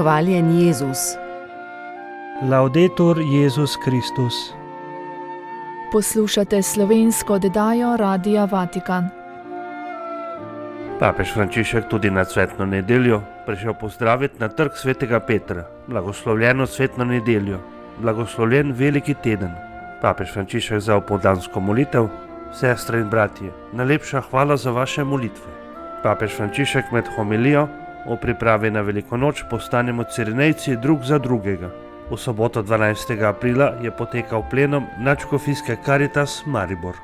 Hvaljen Jezus. Laudetur Jezus Kristus. Poslušate slovensko oddajo Radia Vatikan. Papež Frančišek tudi na cvetno nedeljo prišel pozdraviti na trg svetega Petra. Blagoslovljeno cvetno nedeljo, blagoslovljen veliki teden. Papež Frančišek za opoldansko molitev. Sestre in bratje, najlepša hvala za vaše molitve. Papež Frančišek med homilijo o pripravi na veliko noč postanemo cirenejci drug za drugega. V soboto 12. aprila je potekal plenum nadškofijske Caritas Maribor.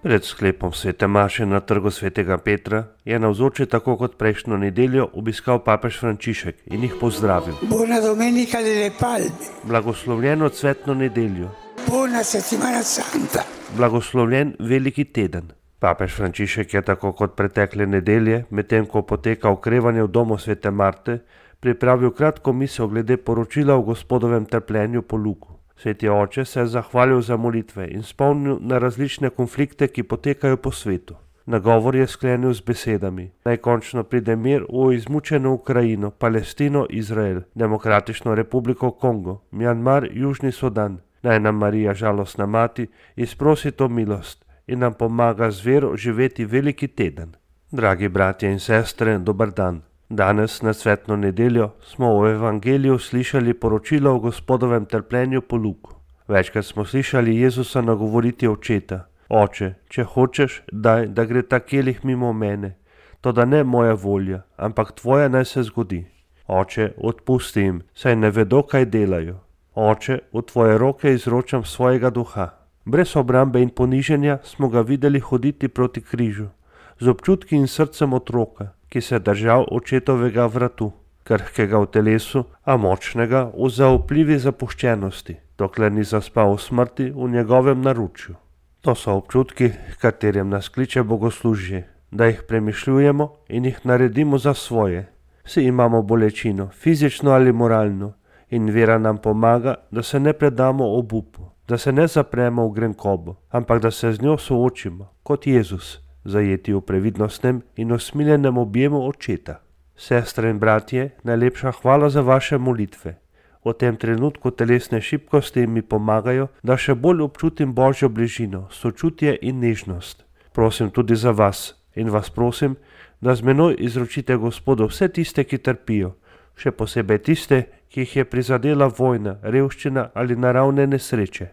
Pred sklepom svete maše na trgu svetega Petra je navzoči tako kot prejšnjo nedeljo obiskal papež Frančišek in jih pozdravil. Buona domenica delle palme. Blagoslovljeno cvetno nedeljo. Buona settimana santa. Blagoslovljen veliki teden. Papež Frančišek je tako kot pretekle nedelje, medtem ko poteka okrevanje v domu svete Marte, pripravil kratko misel glede poročila o Gospodovem trpljenju po Luku. Sveti oče se je zahvalil za molitve in spomnil na različne konflikte, ki potekajo po svetu. Nagovor je sklenil z besedami: naj končno pride mir v izmučeno Ukrajino, Palestino, Izrael, Demokratično republiko Kongo, Mjanmar, Južni Sudan. Naj nam Marija, žalostna mati, izprosi to milost in nam pomaga z vero živeti veliki teden. Dragi bratje in sestre, dober dan. Danes na cvetno nedeljo smo v evangeliju slišali poročilo o Gospodovem trpljenju po Luku. Večkrat smo slišali Jezusa nagovoriti očeta: Oče, če hočeš, daj, da gre ta kelih mimo mene, toda ne moja volja, ampak tvoja naj se zgodi. Oče, odpusti jim, saj ne vedo, kaj delajo. Oče, v tvoje roke izročam svojega duha. Brez obrambe in poniženja smo ga videli hoditi proti križu, z občutki in srcem otroka, ki se je držal očetovega vratu, krhkega v telesu, a močnega v zaupljivi zapuščenosti, dokler ni zaspal v smrti v njegovem naročju. To so občutki, katerem nas kliče bogoslužje, da jih premišljujemo in jih naredimo za svoje. Vsi imamo bolečino, fizično ali moralno, in vera nam pomaga, da se ne predamo obupu, da se ne zapremo v grenkobo, ampak da se z njo soočimo, kot Jezus, zajeti v previdnostnem in usmiljenem objemu očeta. Sestre in bratje, najlepša hvala za vaše molitve. V tem trenutku telesne šibkosti mi pomagajo, da še bolj občutim Božjo bližino, sočutje in nežnost. Prosim tudi za vas in vas prosim, da z menoj izročite Gospodu vse tiste, ki trpijo, še posebej tiste, ki jih je prizadela vojna, revščina ali naravne nesreče.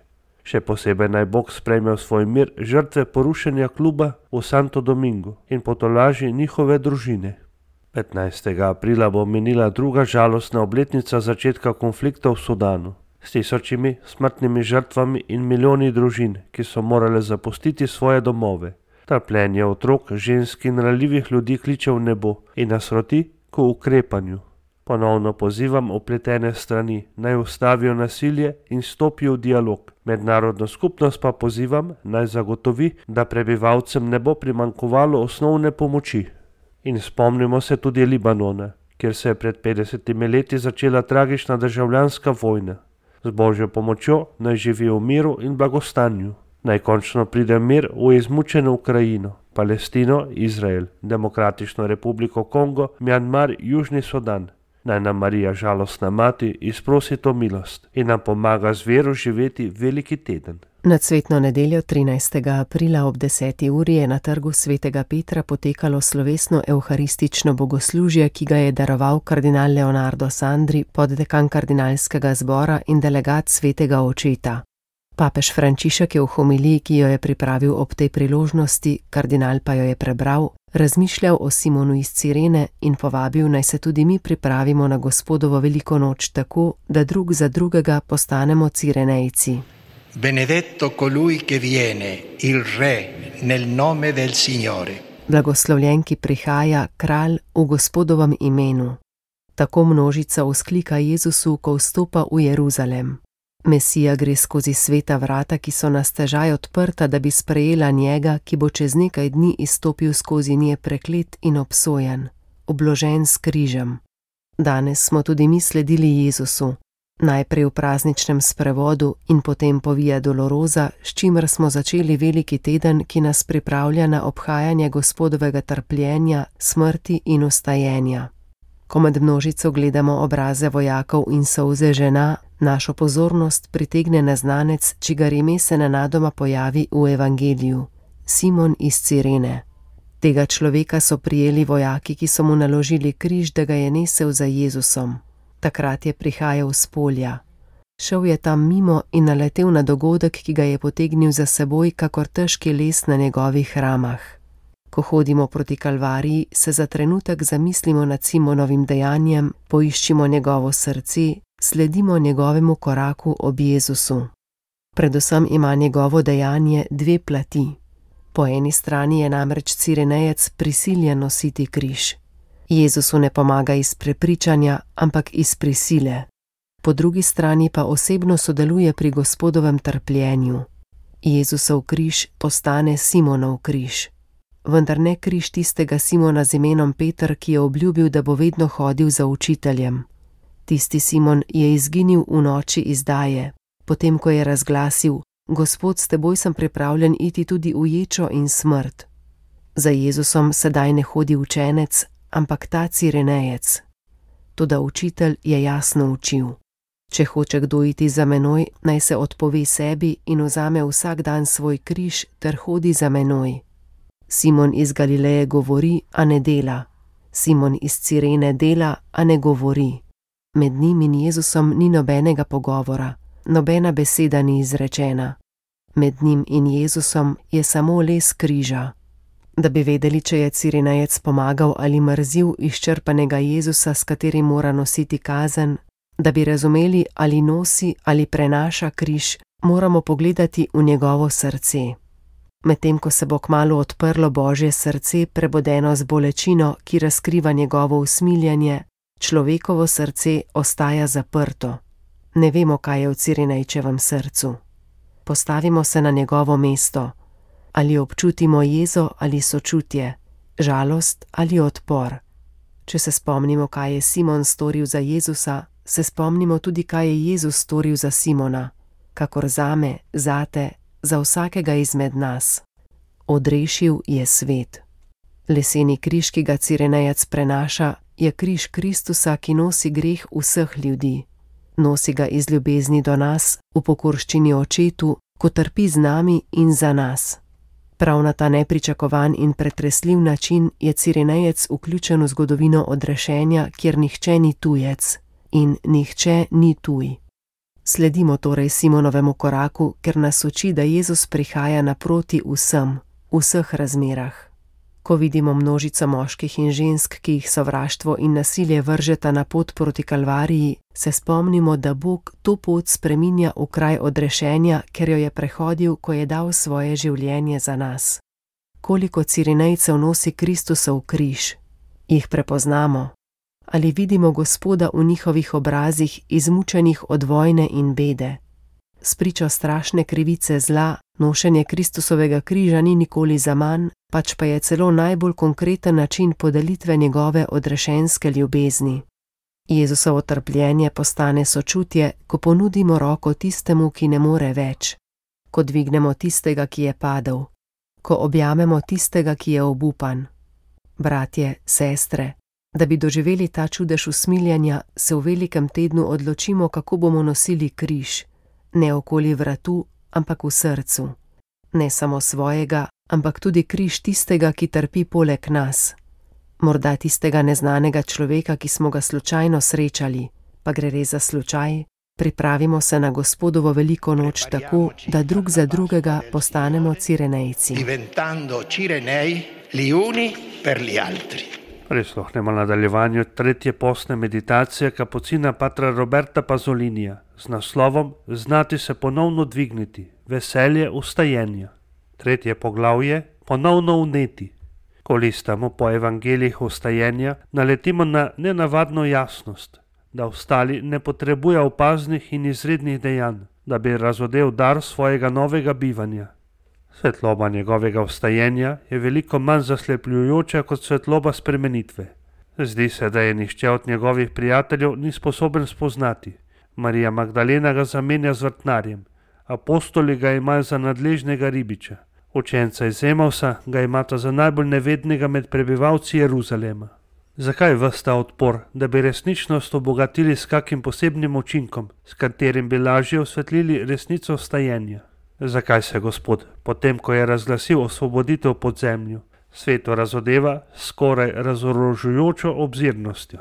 Še posebej naj Bog sprejme v svoj mir žrtve porušenja kluba v Santo Domingo in potolaži njihove družine. 15. aprila bo minila druga žalostna obletnica začetka konflikta v Sudanu, s tisočimi smrtnimi žrtvami in milijoni družin, ki so morale zapustiti svoje domove. Trpljenje otrok, žensk in ranljivih ljudi kliče v nebo in nas roti k ukrepanju. Ponovno pozivam upletene strani, naj ustavijo nasilje in stopijo v dialog. Mednarodno skupnost pa pozivam, naj zagotovi, da prebivalcem ne bo primanjkovalo osnovne pomoči. In spomnimo se tudi Libanona, kjer se je pred 50 leti začela tragična državljanska vojna. Z Božjo pomočjo naj živi v miru in blagostanju. Naj končno pride mir v izmučeno Ukrajino, Palestino, Izrael, Demokratično republiko Kongo, Mjanmar, Južni Sudan. Naj nam Marija, žalostna mati, izprosi to milost in nam pomaga z vero živeti veliki teden. Na cvetno nedeljo 13. aprila ob 10. uri je na trgu svetega Petra potekalo slovesno evharistično bogoslužje, ki ga je daroval kardinal Leonardo Sandri, poddekan kardinalskega zbora in delegat svetega očeta. Papež Frančišek je v homiliji, ki jo je pripravil ob tej priložnosti, kardinal pa jo je prebral, razmišljal o Simonu iz Cirene in povabil, naj se tudi mi pripravimo na Gospodovo veliko noč tako, da drug za drugega postanemo Cirenejci. Benedetto colui che viene, il re, nel nome del Signore. Blagoslovljen, ki prihaja, kralj v Gospodovem imenu. Tako množica vzklika Jezusu, ko vstopa v Jeruzalem. Mesija gre skozi sveta vrata, ki so na stežaj odprta, da bi sprejela njega, ki bo čez nekaj dni izstopil skozi nje preklet in obsojen, obložen s križem. Danes smo tudi mi sledili Jezusu, najprej v prazničnem sprevodu in potem po Via Dolorosa, s čimer smo začeli veliki teden, ki nas pripravlja na obhajanje Gospodovega trpljenja, smrti in vstajenja. Ko med množico gledamo obraze vojakov in solze žena, našo pozornost pritegne neznanec, čigar ime se nenadoma pojavi v evangeliju, Simon iz Cirene. Tega človeka so prijeli vojaki, ki so mu naložili križ, da ga je nesel za Jezusom. Takrat je prihajal s polja. Šel je tam mimo in naletel na dogodek, ki ga je potegnil za seboj, kakor težki les na njegovih ramah. Ko hodimo proti Kalvariji, se za trenutek zamislimo nad Simonovim dejanjem, poiščimo njegovo srce, sledimo njegovemu koraku ob Jezusu. Predvsem ima njegovo dejanje dve plati. Po eni strani je namreč Cirenejec prisiljen nositi križ. Jezusu ne pomaga iz prepričanja, ampak iz prisile. Po drugi strani pa osebno sodeluje pri Gospodovem trpljenju. Jezusov križ postane Simonov križ. Vendar ne križ tistega Simona z imenom Peter, ki je obljubil, da bo vedno hodil za učiteljem. Tisti Simon je izginil v noči izdaje, potem ko je razglasil: Gospod, s teboj sem pripravljen iti tudi v ječo in smrt. Za Jezusom sedaj ne hodi učenec, ampak ta Cirenejec. Toda učitelj je jasno učil: če hoče kdo iti za menoj, naj se odpove sebi in vzame vsak dan svoj križ ter hodi za menoj. Simon iz Galileje govori, a ne dela. Simon iz Cirene dela, a ne govori. Med njim in Jezusom ni nobenega pogovora, nobena beseda ni izrečena. Med njim in Jezusom je samo les križa. Da bi vedeli, če je Cirenejec pomagal ali mrzil izčrpanega Jezusa, s katerim mora nositi kazen, da bi razumeli, ali nosi ali prenaša križ, moramo pogledati v njegovo srce. Medtem ko se bo kmalu odprlo Božje srce, prebodeno z bolečino, ki razkriva njegovo usmiljenje, človekovo srce ostaja zaprto. Ne vemo, kaj je v Cirenejčevem srcu. Postavimo se na njegovo mesto. Ali občutimo jezo ali sočutje, žalost ali odpor. Če se spomnimo, kaj je Simon storil za Jezusa, se spomnimo tudi, kaj je Jezus storil za Simona, kakor zame, zate, za vsakega izmed nas. Odrešil je svet. Leseni križ, ki ga Cirenejec prenaša, je križ Kristusa, ki nosi greh vseh ljudi. Nosi ga iz ljubezni do nas, v pokorščini očetu, ko trpi z nami in za nas. Prav na ta nepričakovan in pretresljiv način je Cirenejec vključen v zgodovino odrešenja, kjer nihče ni tujec in nihče ni tuj. Sledimo torej Simonovemu koraku, ker nas uči, da Jezus prihaja naproti vsem, v vseh razmerah. Ko vidimo množico moških in žensk, ki jih sovraštvo in nasilje vržeta na pot proti Kalvariji, se spomnimo, da Bog to pot spreminja v kraj odrešenja, ker jo je prehodil, ko je dal svoje življenje za nas. Koliko Cirenejcev nosi Kristusov križ? Jih prepoznamo? Ali vidimo Gospoda v njihovih obrazih, izmučenih od vojne in bede? Spričo strašne krivice zla, nošenje Kristusovega križa ni nikoli zaman, pač pa je celo najbolj konkreten način podelitve njegove odrešenske ljubezni. Jezusovo trpljenje postane sočutje, ko ponudimo roko tistemu, ki ne more več, ko dvignemo tistega, ki je padel, ko objamemo tistega, ki je obupan. Bratje, sestre, da bi doživeli ta čudež usmiljenja, se v velikem tednu odločimo, kako bomo nosili križ, ne okoli vratu, ampak v srcu. Ne samo svojega, ampak tudi križ tistega, ki trpi poleg nas. Morda tistega neznanega človeka, ki smo ga slučajno srečali, pa gre res za slučaj. Pripravimo se na Gospodovo veliko noč tako, da drug za drugega postanemo Cirenejci. Diventando Cirenei gli uni per gli altri. Prisluhnemo nadaljevanju tretje postne meditacije kapucina patra Roberta Pazolinija z naslovom Znati se ponovno dvigniti, veselje vstajenja. Tretje poglavje, ponovno vneti. Ko listamo po evangelijih vstajenja, naletimo na nenavadno jasnost, da ostali ne potrebuje opaznih in izrednih dejanj, da bi razodel dar svojega novega bivanja. Svetloba njegovega vstajenja je veliko manj zaslepljujoča kot svetloba spremenitve. Zdi se, da je nihče od njegovih prijateljev ni sposoben spoznati. Marija Magdalena ga zamenja z vrtnarjem, apostoli ga imajo za nadležnega ribiča, učenca iz Emausa ga imata za najbolj nevednega med prebivalci Jeruzalema. Zakaj ves ta odpor, da bi resničnost obogatili s kakim posebnim učinkom, s katerim bi lažje osvetlili resnico stajenja? Zakaj se Gospod, potem ko je razglasil osvoboditev pod zemljo, svetu razodeva s skoraj razorožujočo obzirnostjo?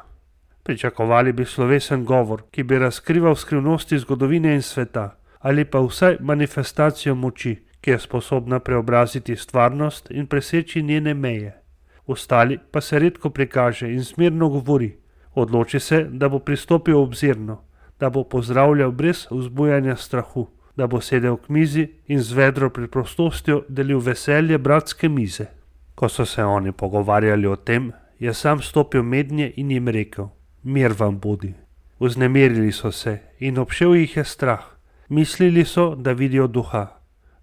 Pričakovali bi slovesen govor, ki bi razkrival skrivnosti zgodovine in sveta, ali pa vsaj manifestacijo moči, ki je sposobna preobraziti stvarnost in preseči njene meje. Ostali pa se redko prikaže in smirno govori. Odloči se, da bo pristopil obzirno, da bo pozdravljal brez vzbujanja strahu, da bo sedel k mizi in z vedro preprostostjo delil veselje bratske mize. Ko so se oni pogovarjali o tem, je sam stopil mednje in jim rekel: Mir vam bodi. Vznemirili so se in obšel jih je strah. Mislili so, da vidijo duha.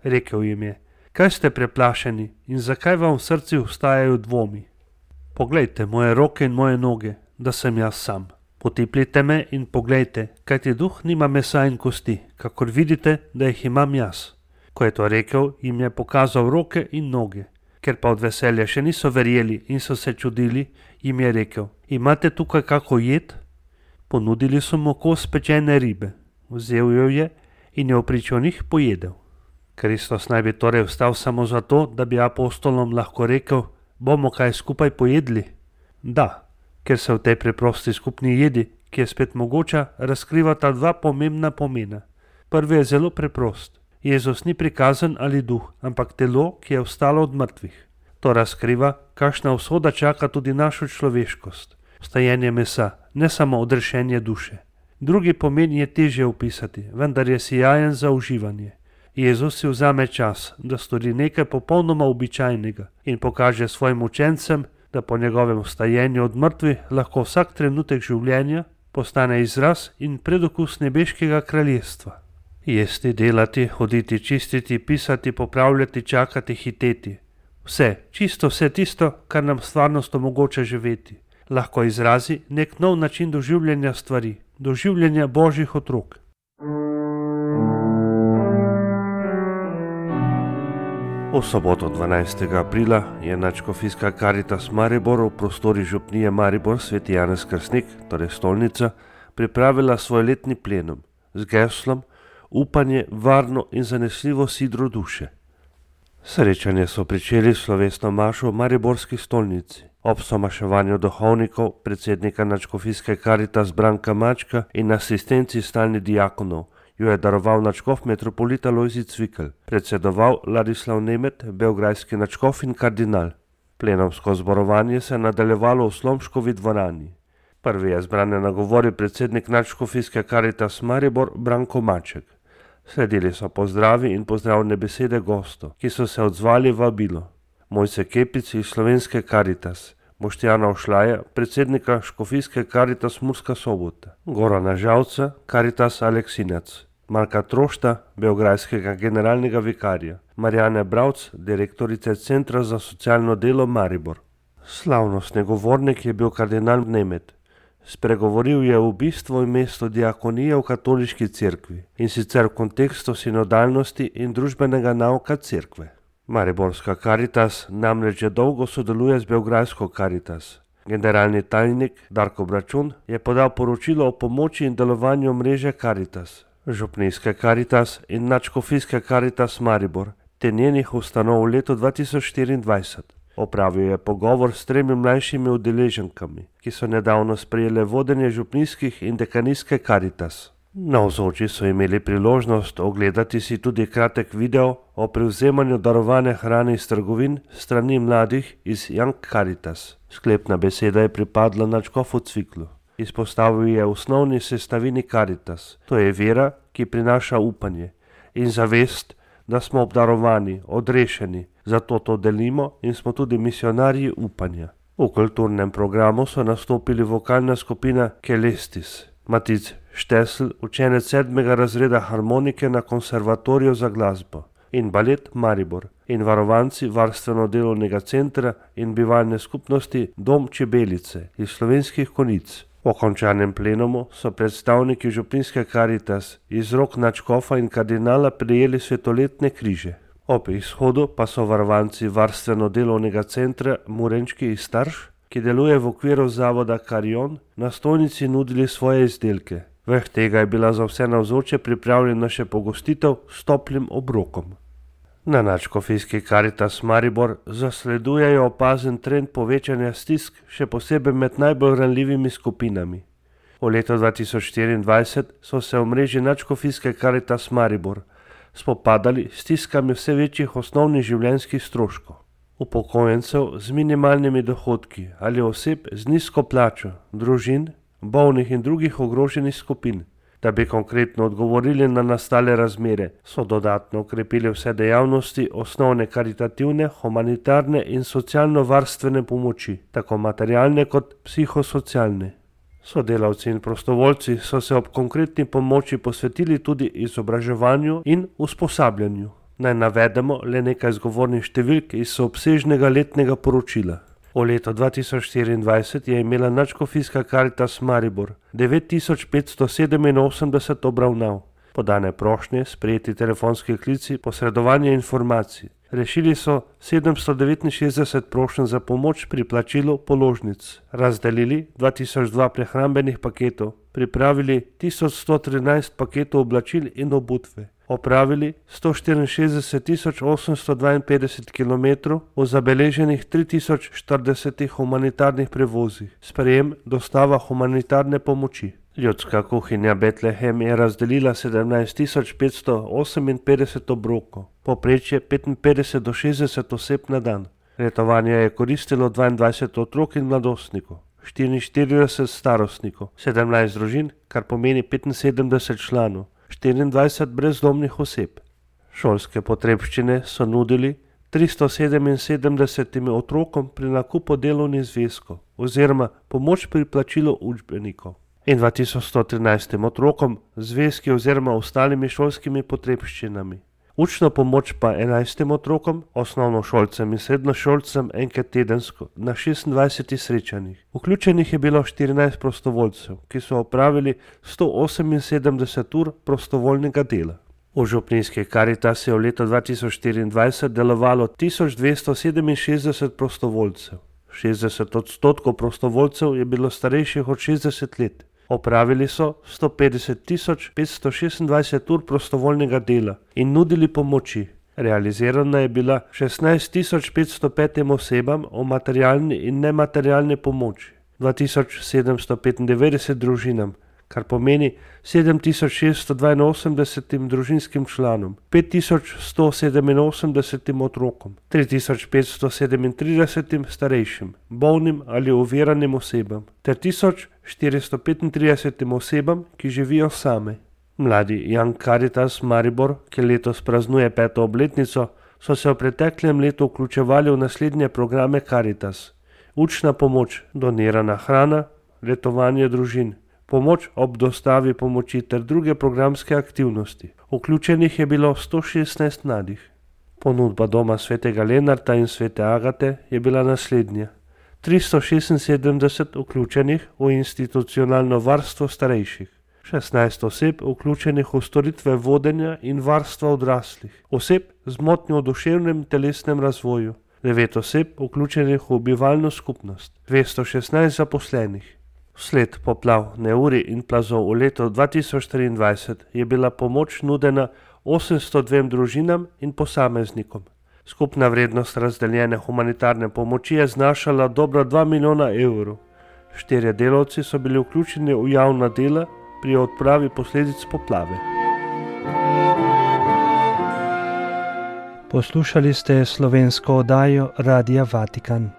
Rekel jim je: Kaj ste preplašeni in zakaj vam v srcu vstajajo dvomi? Poglejte moje roke in moje noge, da sem jaz sam. Potipljite me in poglejte, kajti duh nima mesa in kosti, kakor vidite, da jih imam jaz. Ko je to rekel, jim je pokazal roke in noge. Ker pa od veselja še niso verjeli in so se čudili, jim je rekel: Imate tukaj kako jed? Ponudili so mu kos pečene ribe. Vzel jo je in jo vpričo njih pojedel. Kristus naj bi torej vstal samo zato, da bi apostolom lahko rekel: Bomo kaj skupaj pojedli? Da, ker se v tej preprosti skupni jedi, ki je spet mogoča, razkrivata dva pomembna pomena. Prvi je zelo preprost. Jezus ni prikazan ali duh, ampak telo, ki je vstalo od mrtvih. To razkriva, kakšna usoda čaka tudi našo človeškost. Vstajenje mesa, ne samo odrešenje duše. Drugi pomen je težje opisati, vendar je sijajen za uživanje. Jezus si vzame čas, da stori nekaj popolnoma običajnega in pokaže svojim učencem, da po njegovem vstajenju od mrtvih lahko vsak trenutek življenja postane izraz in predokus nebeškega kraljestva. Jesti, delati, hoditi, čistiti, pisati, popravljati, čakati, hiteti. Vse, čisto vse tisto, kar nam stvarnost omogoča živeti, lahko izrazi nek nov način doživljanja stvari, doživljanja božjih otrok. V soboto 12. aprila je Nadškofijska Karitas Maribor v prostorih župnije Maribor Sveti Janez Krstnik, torej stolnica, pripravila svoj letni plenum z geslom Upanje, varno in zanesljivo sidro duše. Srečanje so pričeli slovesno mašo v mariborski stolnici. Ob somaševanju duhovnikov, predsednika Nadškofijske Karitas Branka Mačka in asistenci stalnih diakonov jo je daroval nadškof metropolita Lojzij Cvikl, predsedoval Ladislav Nemet, beograjski nadškof in kardinal. Plenomsko zborovanje se je nadaljevalo v Slomškovi dvorani. Prvi je zbrane nagovoril predsednik Nadškofijske Karitas Maribor Branko Maček. Sledili so pozdravi in pozdravne besede gostov, ki so se odzvali vabilo. Mojce Kepic iz Slovenske Karitas, Boštjana Ošlaja, predsednika Škofijske Karitas Murska Sobota, Gorana Žalca, Karitas Aleksinac, Marka Trošta, beograjskega generalnega vikarja, Marjane Bravc, direktorice Centra za socialno delo Maribor. Slavnostni govornik je bil kardinal Nemet. Spregovoril je v bistvu in mesto diakonije v katoliški cerkvi in sicer v kontekstu sinodalnosti in družbenega nauka cerkve. Mariborska Karitas namreč že dolgo sodeluje z beograjsko Karitas. Generalni tajnik Darko Bračun je podal poročilo o pomoči in delovanju mreže Karitas, župnijske Karitas in Nadškofijske Karitas Maribor ter njenih ustanov v letu 2024. Opravil je pogovor s 3 mlajšimi udeleženkami, ki so nedavno sprejele vodenje župnijskih in dekanijske Karitas. Navzoči so imeli priložnost ogledati si tudi kratek video o prevzemanju darovane hrane iz trgovin strani mladih iz Young Karitas. Sklepna beseda je pripadla nadškofu Cviklu. Izpostavil je osnovni sestavini Karitas, to je vera, ki prinaša upanje in zavest, da smo obdarovani, odrešeni, zato to delimo in smo tudi misionarji upanja. V kulturnem programu so nastopili vokalna skupina Kelestis, Matic Štesl, učenec 7. razreda harmonike na konservatoriju za glasbo, in balet Maribor, in varovanci varstveno-delovnega centra in bivalne skupnosti Dom Čebelice iz Slovenskih Konjic. Po končanem plenumu so predstavniki župnijske Karitas iz rok nadškofa in kardinala prejeli svetoletne križe. Ob izhodu pa so varovanci varstveno-delovnega centra Murenčki iz Starš ki deluje v okviru zavoda Karion, na stojnici nudili svoje izdelke. Vrh tega je bila za vse navzoče pripravljena še pogostitev s toplim obrokom. Na nadškofijski Karitas Maribor zasledujejo opazen trend povečanja stisk, še posebej med najbolj ranljivimi skupinami. V letu 2024 so se v mreži nadškofijske Karitas Maribor spopadali s stiskami vse večjih osnovnih življenjskih stroškov. Upokojencev z minimalnimi dohodki ali oseb z nizko plačo, družin, bolnih in drugih ogroženih skupin. Da bi konkretno odgovorili na nastale razmere, so dodatno okrepili vse dejavnosti osnovne karitativne, humanitarne in socialno-varstvene pomoči, tako materialne kot psihosocialne. Sodelavci in prostovoljci so se ob konkretni pomoči posvetili tudi izobraževanju in usposabljanju. Naj navedemo le nekaj zgovornih številk iz obsežnega letnega poročila. V letu 2024 je imela nadškofijska Karitas Maribor 9587 obravnav, podane prošnje, sprejeti telefonski klici, posredovanje informacij. Rešili so 769 prošenj za pomoč pri plačilu položnic, razdelili 2002 prehrambenih paketov, pripravili 1113 paketov oblačil in obutve, opravili 164.852 km v zabeleženih 3040 humanitarnih prevozih, sprejem, dostava humanitarne pomoči. Ljudska kuhinja Betlehem je razdelila 17.558 obrokov, povprečje 55 do 60 oseb na dan. Letovanje je koristilo 22 otrok in mladostnikov, 44 starostnikov, 17 družin, kar pomeni 75 članov, 24 brezdomnih oseb. Šolske potrebščine so nudili 377 otrokom pri nakupu delovnih zvezkov oziroma pomoč pri plačilu učbenikov in 2113 otrokom zvezki oziroma ostalimi šolskimi potrebščinami. Učno pomoč pa 11 otrokom, osnovnošolcem in srednjošolcem enkrat tedensko na 26 srečanjih. Vključenih je bilo 14 prostovoljcev, ki so opravili 178 ur prostovoljnega dela. V župnijski Karitas je v letu 2024 delovalo 1267 prostovoljcev. 60% prostovoljcev je bilo starejših od 60 let. Opravili so 150.526 ur prostovoljnega dela in nudili pomoči. Realizirana je bila 16.505 osebam o materialni in nematerialni pomoči, 2795 družinam, kar pomeni 7682 družinskim članom, 5187 otrokom, 3537 starejšim, bolnim ali oviranim osebam, ter 1435 osebam, ki živijo same. Mladi Young Caritas Maribor, ki letos praznuje 5. obletnico, so se v preteklem letu vključevali v naslednje programe Caritas: učna pomoč, donirana hrana, letovanje družin, pomoč ob dostavi pomoči ter druge programske aktivnosti. Vključenih je bilo 116 mladih. Ponudba doma svetega Lenarta in svete Agate je bila naslednja: 376 vključenih v institucionalno varstvo starejših, 16 oseb vključenih v storitve vodenja in varstva odraslih, oseb z motnjo v duševnem telesnem razvoju, 9 oseb vključenih v bivalno skupnost, 216 zaposlenih. Vsled poplav, neurij in plazov v letu 2023 je bila pomoč nudena 802 družinam in posameznikom. Skupna vrednost razdeljene humanitarne pomoči je znašala dobro 2 milijona evrov. 4 delavci so bili vključeni v javna dela pri odpravi posledic poplave. Poslušali ste slovensko oddajo Radia Vatikan.